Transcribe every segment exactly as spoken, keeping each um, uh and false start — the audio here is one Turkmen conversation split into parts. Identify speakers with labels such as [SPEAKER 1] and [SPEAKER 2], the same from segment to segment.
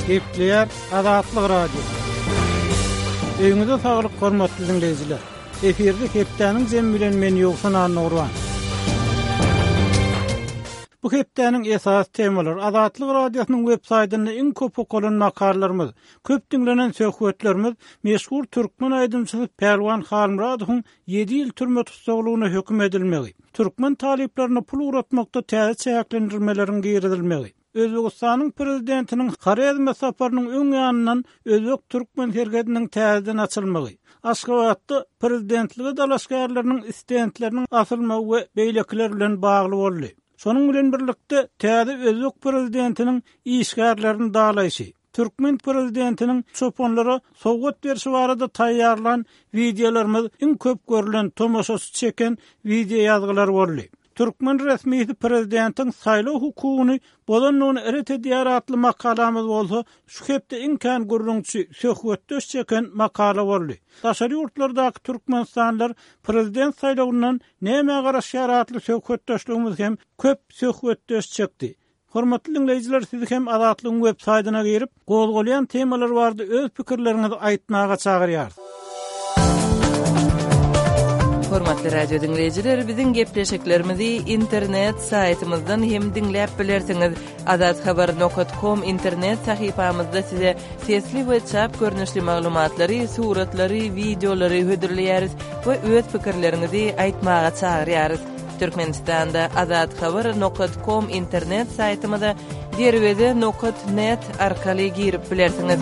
[SPEAKER 1] Gepleýär Azatlyk Radiosy. Öýüňize saglyk hormatly dinleýjiler. Efirde hepdäniň jemi bilen men Ýowşan Annagurban. Bu hepdäniň esasy temalary Azatlyk Radiosynyň web saýtynda iň köp okalan makalalarymyz, köp diňlenen söhbetlerimiz meşhur türkmen aýdymçysy Pälwan Halmyradowyň ýedi ýyl türme tussaglygyna höküm edilmegi, türkmen talyplaryna pul ugratmakda täze çäklendirmeleriň girizilmegi, Özbegistanyň prezidentiniň Horezme saparynyň öň ýanyndan özbek-türkmen serhediniň täzeden açylmagy, Aşgabatda prezidentlige dalaşgärleriniň stendleriniň asylmagy we beýlekiler bilen bagly boldy. Şonuň bilen birlikde täze özbek prezidentiniň işgärlerini dalaýşy, türkmen prezidentiniň çopanlara sowgat berşi barada taýýarlan wideolarymyz iň köp görülen, tomaşaçy çeken wideo ýazgylar boldy. Türkmen resmisi prezidentiň saýlaw hukugyny bozandygyny ret edýär atly makalamyz bolsa şu hepde iň kän gürrüňçi, söhbetdeş çeken makala boldy. Daşary ýurtlardaky türkmenistanlylar prezident saýlawyndan nämä garaşýar atly söhbetdeşligimiz hem köp söhbetdeş çekdi. Hormatly diňleýjiler, sizi hem Azatlygyň web saýtyna girip, gozgalýan temalar barada öz pikirleriňizi aýtmaga çagyrýarys.
[SPEAKER 2] Hormatly radio diňleýjiler, biziň gepleşiklerimizi internet saýtymyzdan hem diňläp bilersiňiz. Azathabar nokat kom internet sahypamyzda size sesli we çap görnüşli maglumatlary, suratlary, wideolary hödürleýäris we öz pikirleriňizi aýtmaga çagyrýarys. Türkmenistanda Azathabar nokat kom internet saýtymyza derweze nokat net arkaly girip bilersiňiz.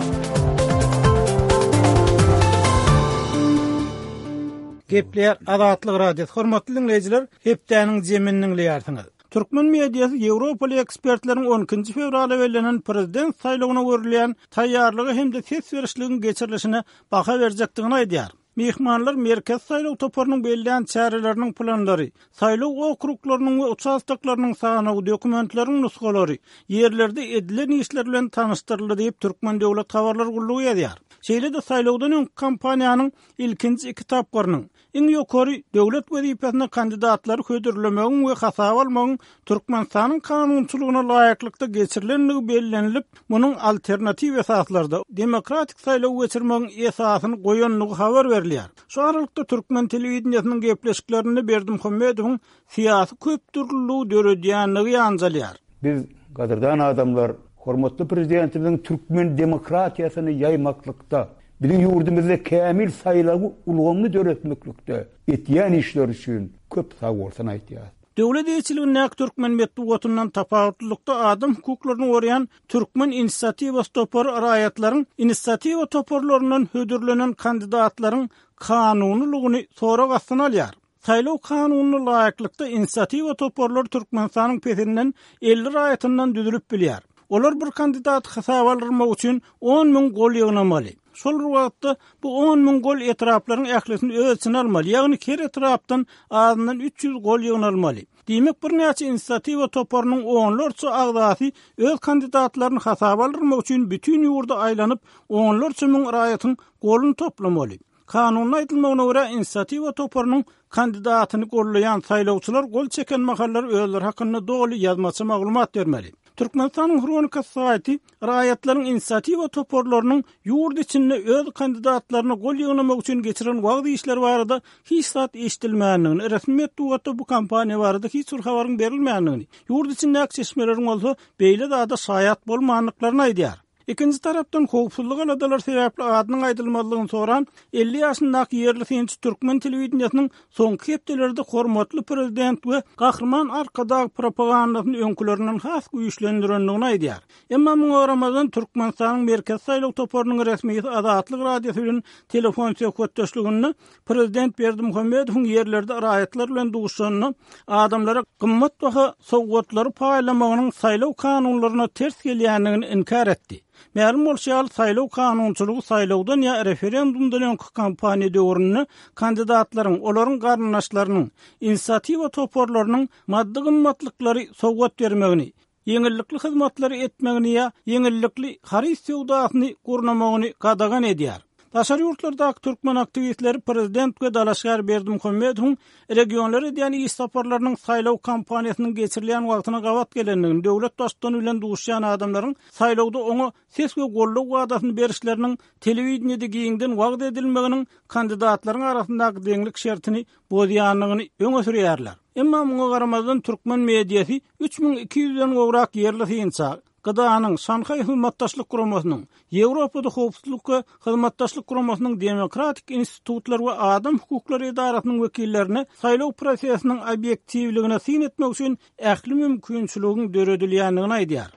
[SPEAKER 1] Gepleýär Azatlyk Radiosy. Hormatly dinleýjiler, hepdäniň jemini diňleýärsiňiz. Türkmen mediasy Ýewropaly ekspertleriň on ikinji fewralda bellenen prezident saýlawyna görülýän taýýarlygy hem-de ses berişligiň geçirilişine baha berjekdigini aýdýar. Mehmanlar Merkez saýlaw toparynyň bellän çäreleriniň planlary, saýlaw okruglarynyň we uçastoklarynyň sanawy, dokumentleriň nusgalary, ýerlerde edilen işler bilen tanyşdyryldy diýip Türkmen Döwlet Habarlar gullugy ýazýar. Şeýle-de saýlawdan öňki kampaniýanyň ilkinji iki tapgyrynyň iň ýokary döwlet wezipesine kandidatlary hödürlemegiň we hasaba almagyň Türkmenistanyň kanunçylygyna laýyklykda geçirilendigi bellenilip, munuň alternatiw esaslarda demokratik saýlaw geçirmegiň esasyny goýandygy habar berilýär. Şu aralykda türkmen telewideniýesiniň gepleşiklerinde Berdimuhamedowyň syýasy köpdürlüligi döredýändigi ýanjalýar.
[SPEAKER 3] Biz gadyrdan adamlar, hormatly prezidentimiziň türkmen demokratiýasyny ýaýmaklykda, biziň ýurdumyzda kämil saýlaw ulgamyny döretmeklikde etýän işler üçin köp sag bolsun aýtýar.
[SPEAKER 1] Döwlet eýeçiligindäki türkmen metbugatyndan tapawutlylykda adam hukuklaryny goraýan Türkmen inisiatiwasy topary raýatlaryň inisiatiwa toparlaryndan hödürlenen kandidatlaryň kanunylygyny sorag astyna alýar. Saýlaw kanunyna laýyklykda inisiatiwa toparlary Türkmenistanyň pesinden elli raýatyndan düzülip bilýär. Olar bir kandidat hasaba almak üçin on müň gol ýygnamaly. Şol bir wagtda bu on müň gol etraplaryň ählisini öz içine almaly, ýagny her etrapdan azyndan üç ýüz gol ýygnalmaly. Diýmek, birnäçe inisiatiwa toparynyň onlarça agzasy öz kandidatlaryny hasaba almak üçin bütün ýurda aýlanyp, onlarça müň raýatyň goluny toplamaly. Kanunda aýdylmagyna görä, inisiatiwa toparynyň kandidatyny gollaýan saýlawçylar gol çeken mahallar özleri hakynda doly ýazmaça maglumat bermeli. Türkmenistanyň Hronika saýty raýatlaryň inisiatiwa toparlarynyň ýurt içinde öz kandidatlaryny gol ýygnamak üçin geçiren wagt işleri barada hiç zat eşidilmändigini, resmi metbugatda bu kampaniýa barada hiç bir habaryň berilmändigini, ýurt içindäki çeşmeleriň bolsa beýle zada şaýat bolmandyklaryny aýdýar. Ikinji tarapdan howpsuzlyk aladalar sebäpli adynyň aýdylmazlygyny soran elli ýaşyndaky ýerli synçy türkmen telewideniýesiniň soňky hepdelerde hormatly prezident we Gahryman Arkadag propagandasyny öňkülerinden has güýçlendirendigini aýdýar. Emma muňa garamazdan Türkmenistanyň Merkezi saýlaw toparynyň resmisi Azatlyk Radiosy bilen telefon söhbetdeşliginde prezident Berdimuhamedowyň ýerlerde raýatlar bilen duşanda adamlara gymmat baha sowgatlary paýlamagynyň saýlaw kanunlaryna ters gelýändigini inkär etdi. Mälim bolşy ýaly, saýlaw kanunçylygy saýlawdan ýa referendumdan öňki kampaniýa döwründe kandidatlaryň, olaryň garyndaşlarynyň, inisiatiwa toparlarynyň maddy gymmatlyklary sowgat bermegini, ýeňillikli hyzmatlary etmegini ýa ýeňillikli haryt söwdasyny gurnamagyny gadagan edýär. Daşary ýurtlardaky türkmen aktiwistleri prezident we dalaşgär Berdimuhamedowyň regionlara edýän iş saparlarynyň saýlaw kampaniýasynyň geçirilýän wagtyna gabat gelendigini, döwlet baştutany bilen duşýan adamlaryň saýlawda oňa ses we goldaw wadasyny berişleriniň telewideniýede giňden wagyz edilmeginiň kandidatlaryň arasyndaky deňlik şertini bozýandygyny öňe sürýärler. Emma muňa garamazdan türkmen mediasy üç müň iki ýüzden gowrak ýerli synça, G D A'nyň Şanhaý Hyzmatdaşlyk Guramasynyň, Ýewropada Howpsuzlyk we Hyzmatdaşlyk Guramasynyň Demokratik Institutlar we Adam Hukuklary Edarasynyň wekillerine saýlaw prosesiniň obýektiwligine syn etmek üçin ähli mümkinçiligiň döredilýändigini aýdýar.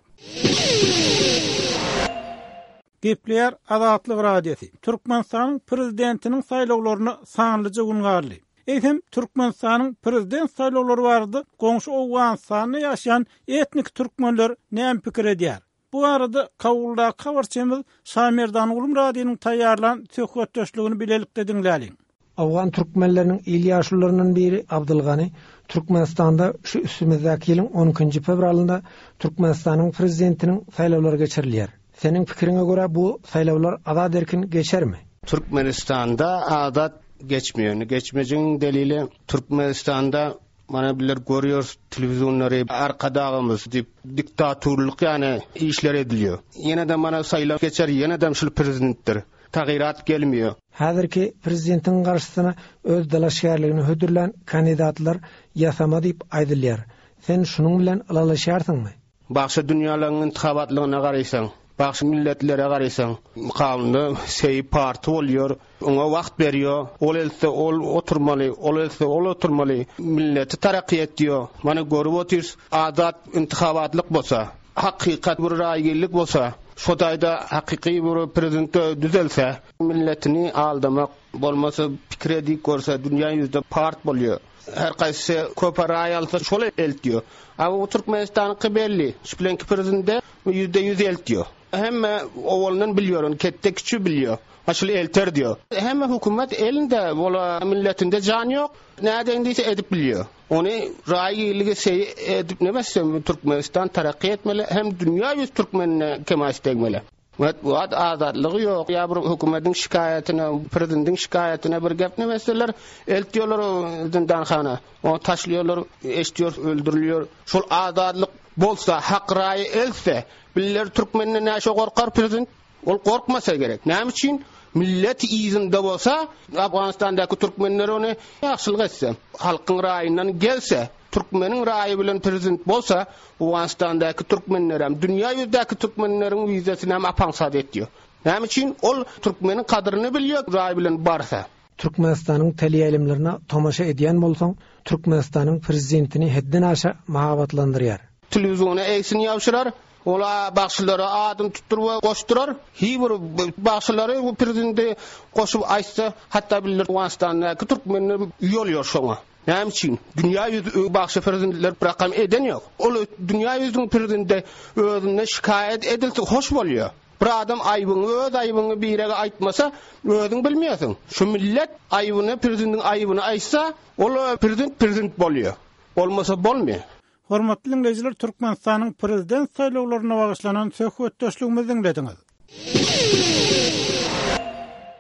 [SPEAKER 1] Gepleýär Azatlyk Radiosy. Türkmenistanyň prezidentiniň saýlawlaryna sanlyja gün galdy. Eýsem, Türkmenistanyň prezident saýlawlary barada goňşy Owganystanda ýaşaýan etnik türkmenler näme pikir edýär? Bu barada Kabuldaky habarçymyz Şamerdan Gulmyradynyň taýýarlan söhbetdeşligini bilelikde diňläliň.
[SPEAKER 4] Owgan türkmenleriniň il ýaşulularyndan biri Abdulgani Türkmenistanda şu üstümizdäki ýylyň on ikinji fewralynda Türkmenistanyň prezidentiniň saýlawlary geçirilýär. Seniň pikiriňe görä bu saýlawlar azat erkin geçermi?
[SPEAKER 5] Türkmenistanda azat geçmiyor. Geçmejin delili Türkmenistanda mana biler görüyoruz televizyonları arkadağımız deyip diktatorluk yani işler ediliyor. Yine de mana sayılar geçer, yine de şul prezidenttir. Tagyirat gelmiyor.
[SPEAKER 4] Häzirki prezidentin garşysyna öz dalaşgärligini hödürlän kandidatlar ýasama diýip aýdylýar. Sen şunuň bilen ylalaşýarsyňmy?
[SPEAKER 5] Bagşy dünýalaryň intihabatlygyna garaýsaň, bagşy milletlere garaýsaň, mukamda seý parti bolýar, oňa wagt berýär, ol else ol oturmaly, ol else ol oturmaly, milleti tarakki etýär. Mana görüp otyrys, azat intihabatlyk bolsa, hakykat bir raýgirlik bolsa, şo taýda hakyky bir prezident düzelse, milletini aldamak bolmasa pikir edip görse dünýä ýüzde part bolýar. Her kaysy köp raý alsa şol eltiyor. Ama bu Türkmenistan'ınki belli. Şüplenki prezident yüzde yüz eltiyor. Hem oğlunun biliyor, onu kette küçüğü biliyor. Aşıl elter diyor. Hem hükümet elinde, ola milletinde can yok. Nereden değilse edip biliyor. Onu rayi ilgisi şey edip ne mesela Türkmenistan terakki etmeli, hem dünya yüz Türkmenine kemal istekmeli. Metbuat azatlygy yok. Ya bir hükümetin şikayetine, prezidentin şikayetine bir gep ne meseleler eltiyorlar o zindanhana. O taşlıyorlar, eşitiyor, öldürülüyor. Şol azatlyk bolsa, hak rayi else, biller Türkmenine ne şo korkar prezident? Ol korkmasa gerek. Näme üçin? Millet izinde bolsa, Afganistandaky türkmenler onu ýagşylyk etse, halkyň raýyndan gelse, Türkmeniň raýy bilen prezident bolsa, Afganistandaky türkmenler hem dünýä ýüzdäki türkmenleriň wizesini hem apaňsat etýär. Näme üçin? Ol türkmeniň kadryny bilýär, raý bilen barsa.
[SPEAKER 4] Türkmenistanyň teleýaýlymlaryna tomaşa edýän bolsaň, Türkmenistanyň prezidentini hedden aşa mahabatlandyrýar.
[SPEAKER 5] Telewiziona egsin ýapşyrar, ola bagşylara adım tutdur we goşdurar. Hi bir bagşylary bu prezidenti goşup aýtsa, hatda bilir Afganistandaky türkmenler ýol ýor şoňa. Näme üçin? Dünýä ýüzi bagşy prezidentler rakam eden ýok. Ol dünýä ýüzüniň prezidenti özüne şikaýat edilse hoş bolýar. Bir adam aýbyňy, öz aýbyňy birege aýtmasa, özüň bilmeýärsiň. Şu millet aýbyny, prezidentiň aýbyny aýtsa, ol prezident prezident bolýar. Bolmasa bolmaýar.
[SPEAKER 1] Hormatly dinleýjiler, Türkmenistanyň prezident saýlawlaryna bagyşlanan söhbetdeşligimizi diňlediňiz.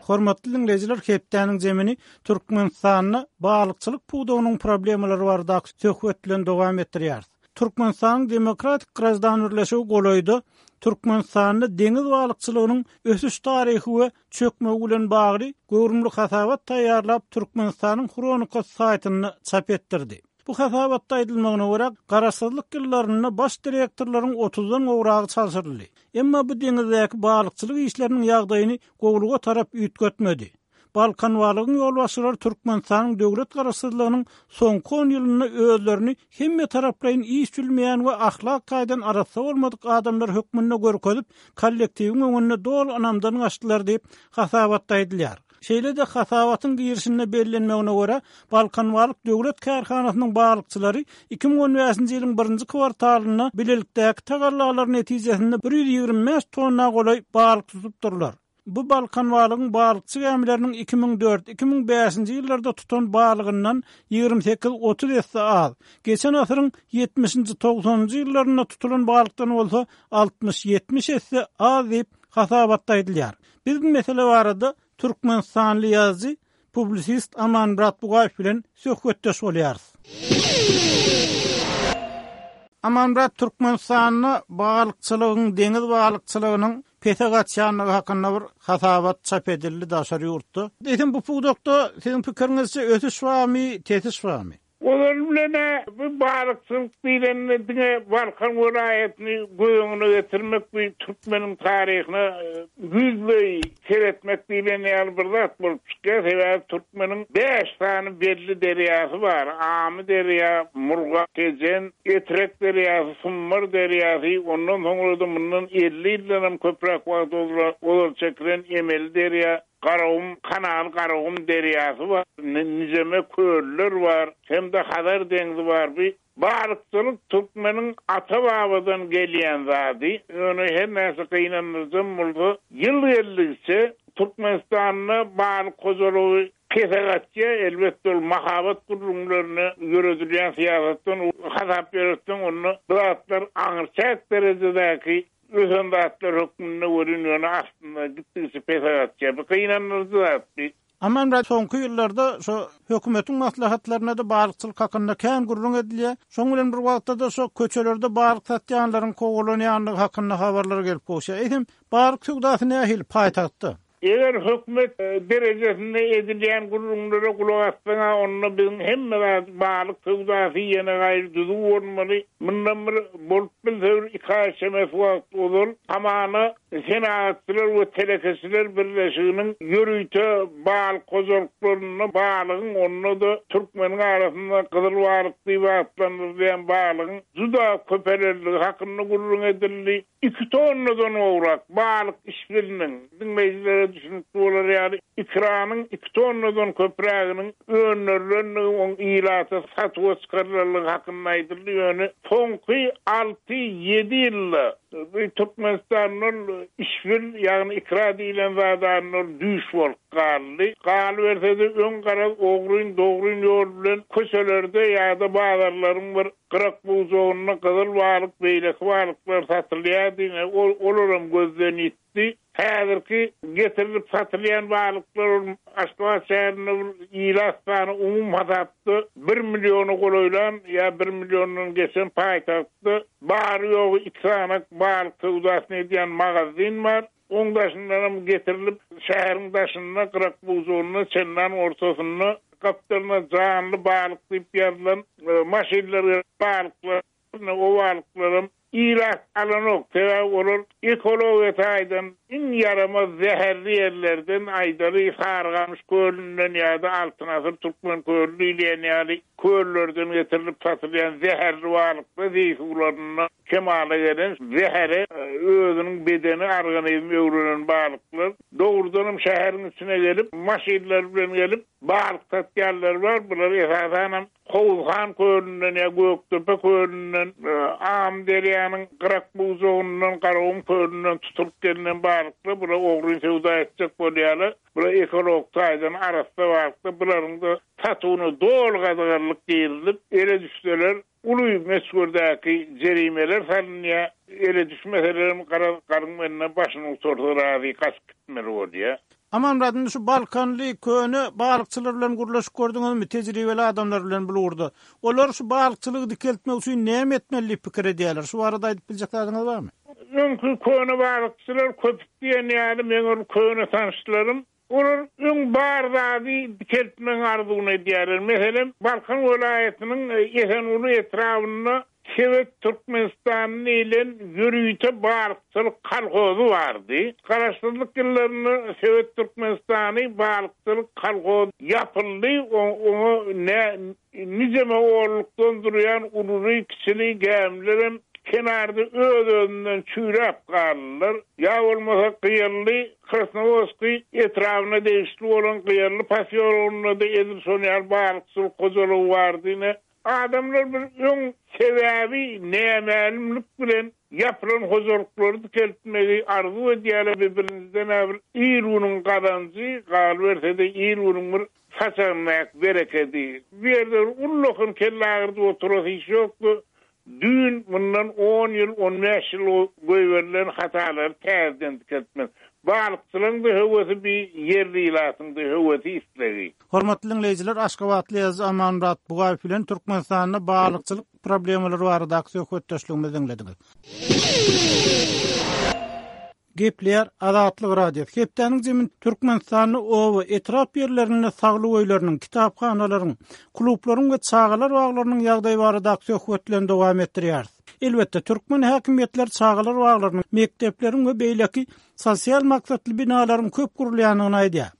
[SPEAKER 1] Hormatly dinleýjiler, hepdäniň zemini Türkmenistanda balykçylyk pudagynyň problemalary baradaky söhbet bilen dowam etdirýär. Türkmenistanyň Demokratik Graždan Birleşigi golaýda Türkmenistanda deňiz balykçylygynyň ösüş taryhy we çökmegi bilen bagly göwrümli hasabat taýýarlap Türkmenistanyň Hronikasy saýtynda çap etdirdi. Bu hasabatda aýdylmagyna görä, garaşsyzlyk ýyllarynda baş direktorlaryň otuzdan gowragy çalşyryldy. Emma bu deňizdäki balykçylyk işleriniň ýagdaýyny gowluga tarap üýtgetmedi. Balkan balygyň ýolbaşçylary Türkmenistanyň döwlet garaşsyzlygynyň soňky on ýylynda özlerini hemme taraplaýyn iş bilmeýän we ahlak taýdan arassa bolmadyk adamlar hökmünde görkezip, kollektiwiň öňünde doly ynamdan gaçdylar diýip hasabatda aýdylýar. Şeýle-de hasabatyň girişinde bellenmegine görä, Balkan balyk döwlet kärhanasynyň balykçylary iki müň on bäşinji ýylyň birinji kwartalynda bilelikdäki tagallalar netijesinde bir ýüz ýigrimi bäş tonna golaý balyk tutupdyrlar. Bu Balkan balygyň balykçy gämileriniň iki müň dört, iki müň bäşinji ýyllarda tutan balygyndan ýigrimi sekiz otuz esse az. Geçen asyryň ýetmişinji togsanynjy ýyllarynda tutulan balykdan bolsa altmyş ýetmiş esse az diýip hasabatda aýdylýar. Biz bu mesele barada Türkmenistanly ýazyjy, publisist Amanmyrat Bugaýew bilen söhbetdeş bolýarys. Amanmyrat, Türkmenistanda balykçylygyň, deňiz balykçylygynyň pese gaçýanlygy hakynda bir hasabat çap edildi daşary ýurtda. Eýsem bu pudakda siziň pikiriňizçe ösüş barmy, tesiş barmy?
[SPEAKER 6] Olar bilen bu balykçylyk diýlende diňe Balkan welaýatyny göz öňüne getirmek bu türkmeniň taryhyna ýüzleý seretmek diýlen ýaly bir zat bolup çykýar. Sebäbi türkmeniň bäş sany belli derýasy bar. Amy derýa, Murgap, Tejen, Etrek derýasy, Sumbar derýasy, ondan soňra-da mundan elli ýyldan hem köpräk wagt ozal çekilen emeli derýa, Garagum kanaly, Garagum derýasy bar, nijeme köller bar, hem-de Hazar deňzi bar. Bu balykçylyk türkmeniň ata-babadan gelýän zady. Ýöne her näçe gynandyryjam bolsa, ýyl geldikçe Türkmenistanda balyk hojalygy pese gaçýar. Elbetde ol mahabat gürrüňlerine ýöredilýän syýasatdan hasap ýöretseň, onda bu zatlar aňryçäk derejedäki ösen zatlar hökmünde welin, ýöne aslynda gitdikçe pese gaçýar. Bu gynandyryjy zat.
[SPEAKER 1] Amanmyrat, soňky ýyllarda şu hökümetiň maslahatlarynda-da balykçylyk hakynda kän gürrüň edilýär. Şoň bilen bir wagtda-da şu köçelerde balyk satýanlaryň kowalanýanlygy hakynda habarlar gelip gowşýar. Eýsem, balyk söwdasy nähili paýtagtda?
[SPEAKER 6] Eger hökümet derejesinde edilýän gürrüňlere gulak assaň-a, onda biziň hemme zat balyk söwdasy ýene gaýry düzüw bolmaly. Mundan bir bolup bilse bir iki aý çemesi wagt ozal hamana Senagatçylar we telekeçiler birleşiginiň ýörite balyk hojalyklarynda balygyň, onda-da türkmeniň arasynda gyzyl balyk diýip atlandyrylýan balygyň juda köpelenligi hakynda gürrüň edildi. Iki tonnadan gowrak balyk işbiliniň, diňleýjilere düşünikli bolar ýaly, ikranyň iki tonnadan köpräginiň öndürilenligi, oň ilata satuwa çykarylanlygy hakynda aýdyldy. Ýöne soňky alty-ýedi ýylda bu Türkmenistanda ol işbil, ýagny ikra diýlen zadan ol düýş bolup galdy. Galyberse-de öň garaz ogryn-dogryn ýol bilen köçelerde ýa-da bazarlaryň bir gyrak bujagynda gyzyl balyk, beýleki balyklar satylýardy, ine, olaram gözden ýitdi. Häzirki getirilip satylýan balyklar ol Aşgabat şäherinde bir ilat sany umumy hasapda bir milliona golaýlan ýa bir milliondan geçen paýtagtda bary-ýogy iki sany balyk söwdasyny edýän magazin bar. Oň daşyndanam getirilip şäheriň daşynda gyrak bujagynda çendan ortasynda gapdalyna janly balyk diýip ýazylan maşynlar balyklar, o balyklaram ilat alanok. Sebäbi olar ekologiýa taýdan iň ýaramaz zäherli ýerlerden, aýdaly Sarygamyş kölünden ýa-da Altyn asyr Türkmen köli diýilýän ýaly köllerden getirilip satylýan zäherli balyklar zeý suwlarynda kemala gelen zähere özüniň bedeni organizmi öwrenen balyklar dogrudanam şäheriň içine gelip maşynlar bilen gelip balyk satýanlar bar. Bular esasanam Howuzhan kölünden ýa Gökdepe kölünden, Amyderýanyň gyrak bujagyndan, Garagum kölünden tutulyp gelinen balyklar. Bular ogryn söwda etjek bolýarlar. Bular ekolog taýdan arassa balyklar. Bularyň da satuwyna doly gadaganlyk girizilip, ele düşseler uly möçberdäki jerimeler salynýar. Ele düşmeselerem garaz garyň önüne başyny utarsa razy gaçyp gitmeli bolýar.
[SPEAKER 1] Amanmyrat, indi şu Balkanly köne balykçylar bilen gürleşip gördüňizmi, tejribeli adamlar bilen bu ugurda? Olar şu balykçylygy dikeltmek üçin näme etmeli diýip pikir edýärler? Şu barada aýdyp biljek zadyňyz barmy?
[SPEAKER 6] Öňki köne balykçylar köp diýen ýaly meň ol köne tanyşlarym, olar öň bar zady dikeltmegiň arzuwyny edýärler. Meselem, Balkan welaýatynyň Esenguly etrabynda Sebet Türkmenistany diýlen ýörite balykçylyk kolhozy bardy. Garaşsyzlyk ýyllarynda Sebet Türkmenistany balykçylyk kolhozy ýapyldy. Oňa nijeme ollukdan durýan ululy, kiçili gämilerem kenarda öz-özünden çüýräp galdylar. Ýa bolmasa Gyýaly Krasnowodskiý etrabyna degişli bolan Gyýaly posýologynda-da edil şon ýaly balykçylyk hojalygy bardy. Ine, adamlar bir öň sebäbi nämälimlik bilen ýapylan hojalyklary dikeltmegi arzuw edýärler. Bir birinjiden bir il günüň gazanjy, galyberse-de il günüň bir saçagyndaky berekedi. Bu ýerde bir ullakan kelle agyrdyp oturasy iş ýokdy. Düýn mundan on ýyl, on bäş ýyl goýberilen hatalary täzeden dikeltmek. Balykçylaryň-da höwesi bi, ýerli ilatyň-da höwesi islegi.
[SPEAKER 1] Hormatly diňleýjiler, Aşgabatly ýazyjy Amanmyrat Bugaýew bilen Türkmenistanda balykçylyk problemalary baradaky söhbetdeşligimizi diňlediňiz. Gepleýär Azatlyk Radiosy. Hepdäniň jemini Türkmenistanda oba, etrap ýerlerinde saglyk öýleriniň, kitaphanalaryň, klublaryň we çagalar baglarynyň ýagdaýy baradaky söhbet bilen dowam etdirýäris. Elbetde, türkmen häkimiýetleri çagalar baglarynyň, mekdepleriň we beýleki sosial maksatly binalaryň köp gurulýandygyny aýdýar.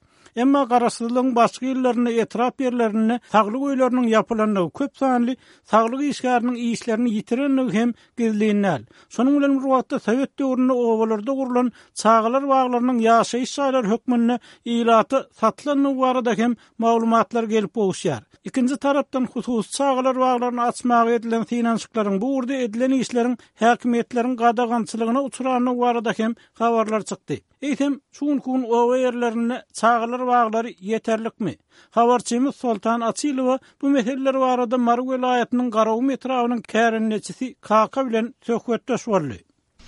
[SPEAKER 1] Emma garaşsyzlygyň başky ýyllarynda etrap ýerlerinde saglyk öýleriniň ýapylandygy, köp sanly saglyk işgäriniň işlerini ýitirendigi hem gizlin däl. Şonuň bilen bir wagtda sowet döwründe obalarda gurlan çagalar baglarynyň ýaşaýyş jaýlary hökmünde ilata satylandygy barada hem maglumatlar gelip gowuşýar. Ikinji tarapdan hususy çagalar baglaryny açmaga edilen synanyşyklaryň, bu ugurda edilen işleriň häkimiýetleriň gadagançylygyna uçrandygy barada hem habarlar çykdy. Eýsem, şu günki gün oba ýerlerinde çagalar baglary ýeterlikmi? Habarçymyz Soltan Açylowa bu meseleler barada Mary welaýatynyň Garagum etrabynyň kärendeçisi Kaka bilen söhbetdeş boldy.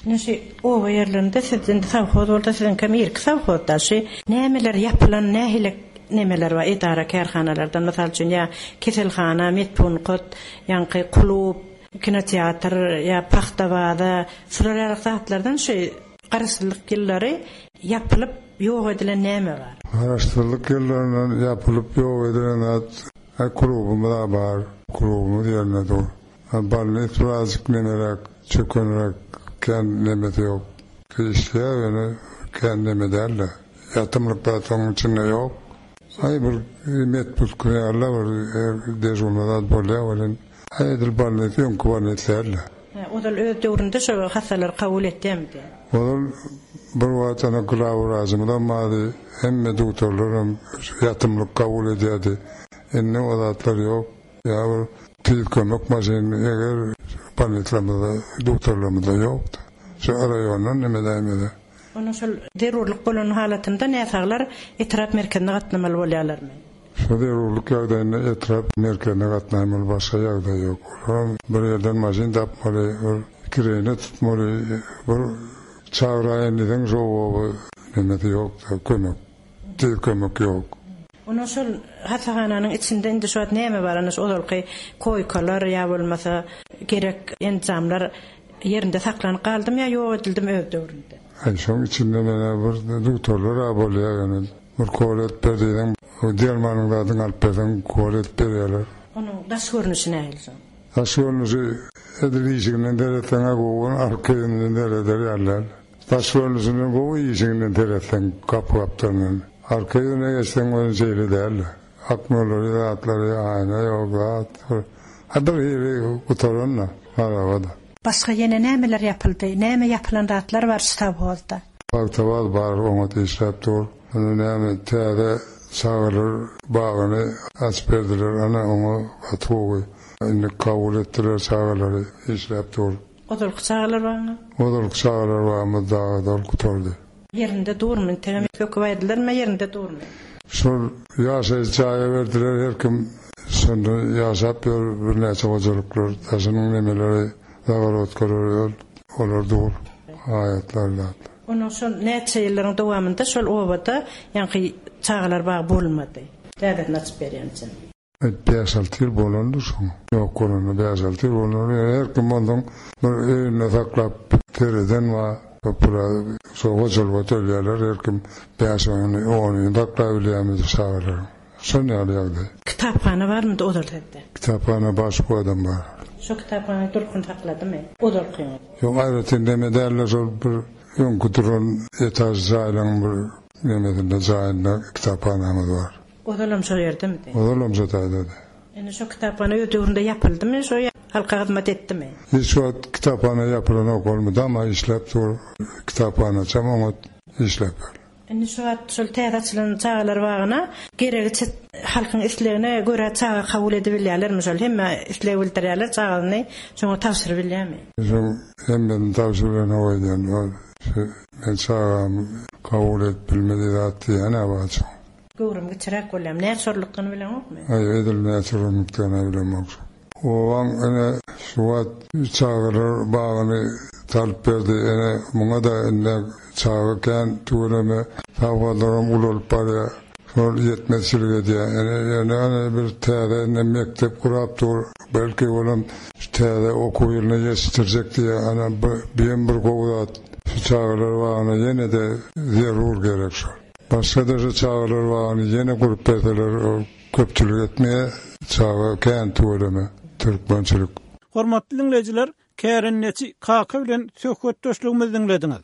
[SPEAKER 7] Ine şu oba ýerlerinde siz indi sowhoz bolsa siziňkem irki sowhozda şu nämeler ýapylan nähili nemeler bar edara kärhanalardan mysal üçin ýa keselhana, medpunkt, ýaňky klub, kinoteatr ýa pagta baza şular ýaly zatlardan şu garaşsyzlyk ýyllary ýapylyp ýok edilen näme bar?
[SPEAKER 8] Garaşsyzlyk ýyllaryndan ýapylyp ýok edilen zat klubumyz bar, klubumyz ýerinde dur. Balnit birazjyk nemeräk, çökenräk, kän nemesi ýok. Işleýär ýöne kän neme däl-de. Ýatymlyk zat onuň içinde ýok. Aý bir medpunkt ýaly bir dejurny zat bolýar welin, aý edil balnit öňki balnit däl-de.
[SPEAKER 7] Ozal öz döwründe şo hassalar kabul etýärmidi?
[SPEAKER 8] Ozal bir wagt ana glawwrajymyzam bardy, hemme doktorlaram ýatymlyk kabul edýärdi. Indi o zatlar ýok. Ýa bir tiz kömek maşyny eger bolnitlerimizde, doktorlarymyzda ýokdy. Şu raýondan neme däýmedi.
[SPEAKER 7] Onda şol zerurlyk bolan halatynda näsaglar etrap merkezine gatnamaly bolýarlarmy?
[SPEAKER 8] Şu zerurlyk ýagdaýynda etrap merkezine gatnaýmaly, başga ýagdaý ýok. Olaram bir ýerden maşyn tapmaly, bir kireýine tutmaly, bir çagyraýyn diýseň şo oba nemesi ýok, kömek, tiz kömek ýok.
[SPEAKER 7] Onda şol hassahananyň içinde indi şu wagt näme bar? Ana şu ozalky koýkalar ýa bolmasa gerek enjamlar ýerinde saklanyp galdymy ýa ýok edildimi öz döwründe?
[SPEAKER 8] Aý şoň içinde menä bir doktorlar bolýar ýöne bir kol edip ber diýseň, dermanyň zadyny alyp berseň kol edip berýärler.
[SPEAKER 7] Onuň daş görnüşi nähili şoň?
[SPEAKER 8] Daş görnüşi edil işiginden seretseň-ä gowy, arka ýüzünden sereder ýaly. Daş görnüşinden gowy işiginden seretseň gapy gapdalyndan. Arka ýüzüne geçseň ony şeýle däl. Akmolary zatlary aýna ýok zat. Ha bir hili gutaran-da, harabada.
[SPEAKER 7] Başga ýene nämeler ýapyldy? Näme ýapylan zatlar bar şu sowhozda?
[SPEAKER 8] Pagtabaz bar, oňat işläp dur. Ony näme täze çagalar bagyny açyp berdiler, ana oňa gaty gowy. Indi kabul etdiler çagalary, işläp dur.
[SPEAKER 7] Ozalky çagalar bagyny?
[SPEAKER 8] Ozalky çagalar bagymyz dagy doly gutardy.
[SPEAKER 7] Ýerinde durmy? Integem söküp aýdylarmy, ýerinde durmy?
[SPEAKER 8] Şol ýaşaýyş jaýa berdiler, her kim şonda ýaşap ýör, birnäçe hojalyklar, daşynyň nemeleri, zagorodkalary olar dur, aýatlar zatlar.
[SPEAKER 7] Onuň şol näçe ýyllaryň dowamynda şol obada ýaňky çagalar bagy bolmady. Täzesini açyp berýänçä.
[SPEAKER 8] Bäş-alty ýyl bolandyr şoň. Ýok bolanda bäş-alty ýyl bolandyr. Her kim onsoň bir öýünde saklap sereden bar. Köpüra şo hojalyga tölýärler. Her kim bäş-ony, onyny saklap bilýärmi çagalaryň. Şon ýaly ýagdaý.
[SPEAKER 7] Kitaphana barmydy ozal sizde?
[SPEAKER 8] Kitaphana başga adam bar.
[SPEAKER 7] Şo kitaphana durkuny sakladymy? Ozalkyňyz?
[SPEAKER 8] Ýok, aýratyn neme däldir, şol bir öňki duran etaž jaýlaryň bir nemesinde jaýynda kitaphanamyz bar.
[SPEAKER 7] Ozalam şo ýerdemidi?
[SPEAKER 8] Ozalam şo taýdady.
[SPEAKER 7] Indi şo kitaphana öz döwründe ýapyldymy, şo halka hyzmat etdimi?
[SPEAKER 8] Hiç wagt kitaphana ýapylanok, ol mydama işläp dur. Kitaphanaçam oňat işläp ýör.
[SPEAKER 7] Indi şu wagt şol täze açylan çagalar bagyna geregiçe halkyň islegine görä çaga kabul edibilýärlermi şol? Hemme isleg bildirýärler, çagasyny şoňa tabşyrybilýärmi?
[SPEAKER 8] Şoň hemmesini tabşyrybilenok öýdýän. Ol şu men çagamy kabul edip bilmedi zat diýýän-ä bar şoň.
[SPEAKER 7] Göwrüm kiçiräk bolýarmy? Näçe orunlukdygyny bileňokmy?
[SPEAKER 8] Aý, edil näçe orunlukdygyny bilemok. Obaň ine şu wagt çagalar bagyny salyp berdi. Ene muňa-da indi çaga kän tüweleme sowhozlaram ulalyp barýar. Şol ýetmezçilik edýär. Ene ýöne ene bir täze indi mekdep gurap dur. Belki olam şu täze okuw ýylyna ýetişdirjek diýýär. Ana bu hem bir gowy zat. Şu çagalar bagyna ýene-de zerur gerek şol. Başga-da şu çagalar bagyny ýene gurup berseler, köpçülik etmeýär. Çaga kän tüweleme türkmençilik.
[SPEAKER 1] Hormatly diňleýjiler, kärendeçi Kaka bilen söhbetdeşligimizi diňlediňiz.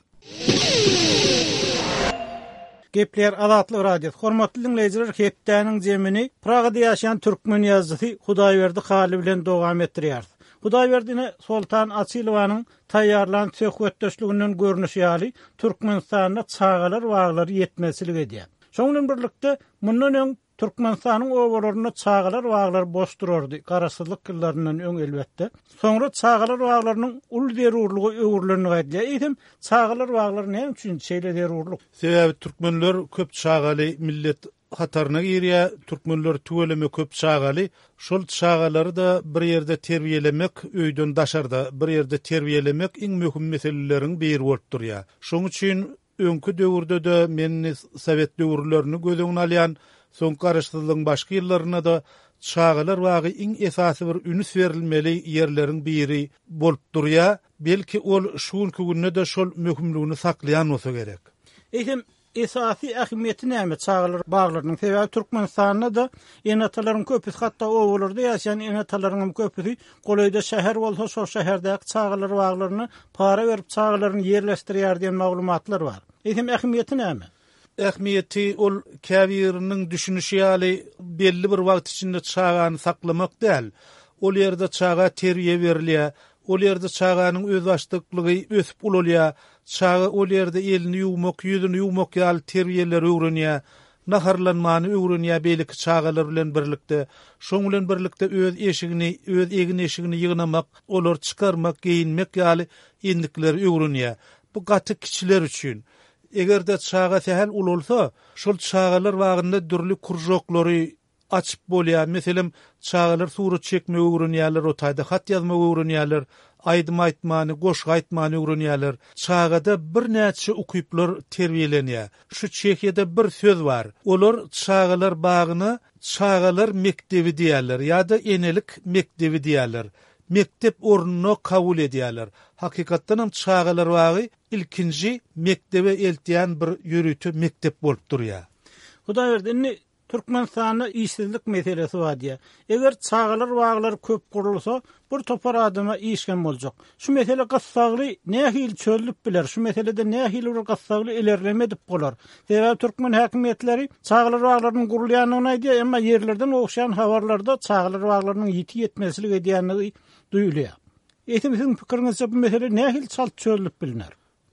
[SPEAKER 1] Gepler Azatlyk Radiosy. Hormatly diňleýjiler, hepdäniň zemini Pragada ýaşaýan türkmen ýazyjysy Hudaýberdi Hally bilen dowam etdirýär. Hudaýberdini Soltan Açylowanyň taýýarlan söhbetdeşliginden görnüşi ýaly Türkmenistanda çagalar baglary ýetmezçilik edýär. Şonuň bilen birlikde mundan öň Türkmenistanyň obalarynda çagalar baglary boş durardy, garaşsyzlyk ýyllaryndan öň elbetde. Soňra çagalar baglarynyň uly zerurlygy öwrülenligi aýdylýar. Eýsem, çagalar baglary näme üçin şeýle zerurlyk?
[SPEAKER 9] Sebäbi türkmenler köp çagaly millet hataryna girýär. Türkmenler tüweleme köp çagaly. Şol çagalary-da bir ýerde terbiýelemek, öýden daşarda bir ýerde terbiýelemek iň möhüm meseleleriň biri bolup durýar. Şonuň üçin öňki döwürde-de men sowet döwürlerini göz öňüne alýan, soň garaşsyzlygyň başky ýyllarynda-da çagalar bagy iň esasy bir ünüs berilmeli ýerleriň biri bolup durýar. Belki ol şu günki günde-de şol möhümligini saklaýan bolsa gerek.
[SPEAKER 1] Eýsem, esasy ähmiýeti näme çagalar baglarynyň? Sebäbi Türkmenistanda-da ene-atalaryň köpüsi, hatda obalarda ýaşaýan ene-atalaryň hem köpüsi golaýda şäher bolsa, şol şäherdäki çagalar baglaryna para berip çagalaryny ýerleşdirýär diýen maglumatlar bar. Eýsem, ähmiýeti näme?
[SPEAKER 9] Ähmiýeti ol käbiriniň düşünişi ýaly belli bir wagt içinde çagany saklamak däl. Ol ýerde çaga terbiýe berilýär. Ol ýerde çaganyň özbaşdaklygy ösüp ulalýar. Çaga ol ýerde elini ýuwmak, ýüzüni ýuwmak ýaly terbiýeleri öwrenýär. Naharlanmany öwrenýär beýleki çagalar bilen birlikde. Şoň bilen birlikde öz eşigini, öz egin eşigini ýygnamak, olar çykarmak, geýinmek ýaly endikleri öwrenýär. Bu gaty kiçiler üçin. Eger-de çaga sähel ulalsa, şol çagalar bagynda dürli kurjoklary açyp bolýar. Meselem, çagalar surat çekmegi öwrenýärler, o taýda hat ýazmagy öwrenýärler, aýdym aýtmany, goşgy aýtmany öwrenýärler. Çagada birnäçe ukyplar terbiýelenýär. Şu Çehiýada bir söz bar. Olar çagalar bagyna çagalar mekdebi diýerler ýa-da enelik mekdebi diýerler. Mektep ornuna kabul edýärler. Hakykatdan hem çagalar bagy ilkinji mektebe eltýän bir ýörite mektep bolup durýar.
[SPEAKER 1] Hudaýberdi, indi Türkmenistanda işsizlik meselesi bar diýär. Eger çagalar baglary köp gurulsa, bir topar adama iş hem boljak. Şu mesele gyssagly nähili çözülip biler? Şu meselede nähili bir gyssagly ilerleme edip bolar? Sebäbi türkmen häkimiýetleri çagalar baglarynyň gurulýandygyny aýdýar, emma ýerlerden gowuşýan habarlarda çagalar baglarynyň ýiti ýetmezçilik edýändigi duýulýar. Eýsem siziň pikiriňizçe bu mesele nähili çalt çözülip biliner?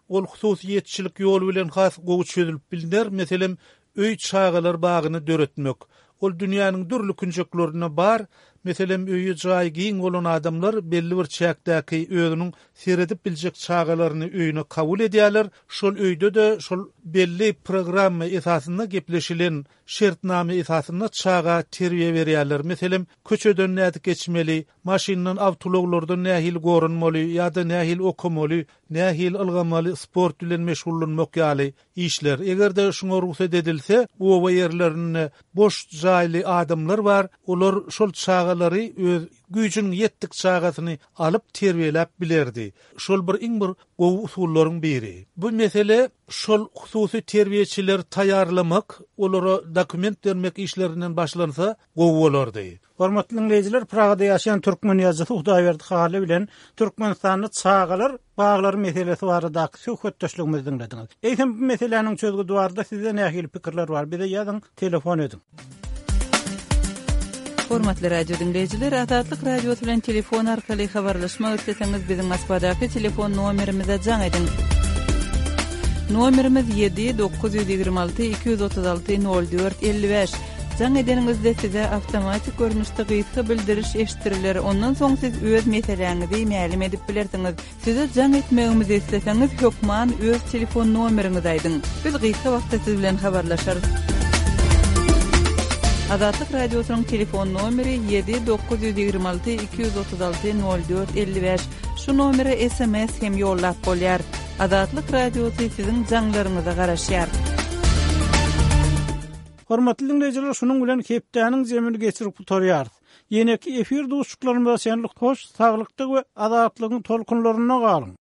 [SPEAKER 9] Ol hususyýetçilik ýoly bilen has gowy çözülip biliner. Meselem, öý çagalar bagyny döretmek. Ol dünýäniň dürli künjeklerinde bar. Meselem, öýi jaýy giň bolan adamlar belli bir çäkdäki özüniň seredip biljek çagalaryny öýüne kabul edýärler. Şol öýde-de şol belli programma esasynda gepleşilen şertname esasynda çaga terbiýe berýärler. Meselem, köçeden nädip geçmeli, maşyndan, awtoulaglardan nähili goranmaly ýa-da nähili okamaly, nähili ylgamaly, sport bilen meşgullanmak ýaly işler. Eger-de şuňa rugsat edilse, oba ýerlerinde boş jaýly adamlar bar, olar şol çagalary öz güýjüniň ýetdik çagasyny alyp terbiýeläp bilerdi. Şol bir iň bir gowy usullaryň biri. Bu mesele şol hususy terbiýeçileri taýýarlamak, olara dokument bermek işlerinden başlansa gowy bolardy.
[SPEAKER 1] Hormatly diňleýjiler, Pragada ýaşaýan türkmen ýazyjysy Hudaýberdi Hally bilen Türkmenistanda çagalar baglary meselesi baradaky söhbetdeşligimizi diňlediňiz. Eýsem bu meseläniň çözgüdi barada sizde nähili pikirler bar? Bize ýazyň, telefon ediň.
[SPEAKER 2] Hormatly radio diňleýjiler, Azatlyk Radiosy bilen telefon arkaly habarlaşmak isleseňiz biziň Moskwadaky telefon nomerimize jaň ediň. Nomerimiz ýedi dokuz ýüz ýigrimi alty iki ýüz otuz alty nol dört elli bäş. Jaň edeniňizde size awtomatik görnüşde gysga bildiriş eşitdiriler. Ondan soň siz öz meseläňizi mälim edip bilersiňiz. Size jaň etmegimizi isleseňiz, hökman öz telefon nomeriňizi aýdyň. Biz gysga wagtda siz bilen habarlaşarys. Azatlyk Radiosynyň telefon nomeri ýedi dokuz ýüz ýigrimi alty iki ýüz otuz alty nol dört elli bäş. Şu nomere SMS hem ýollap bolýar. Azatlyk Radiosy siziň jaňlaryňyza garaşýar.
[SPEAKER 1] Hormatly diňleýjiler, şunuň bilen hepdäniň jemini geçirip gutarýarys. Ýeneki efir duşuşyklarymyza çenli hoş, saglykda we azatlygyň tolkunlarynda galyň.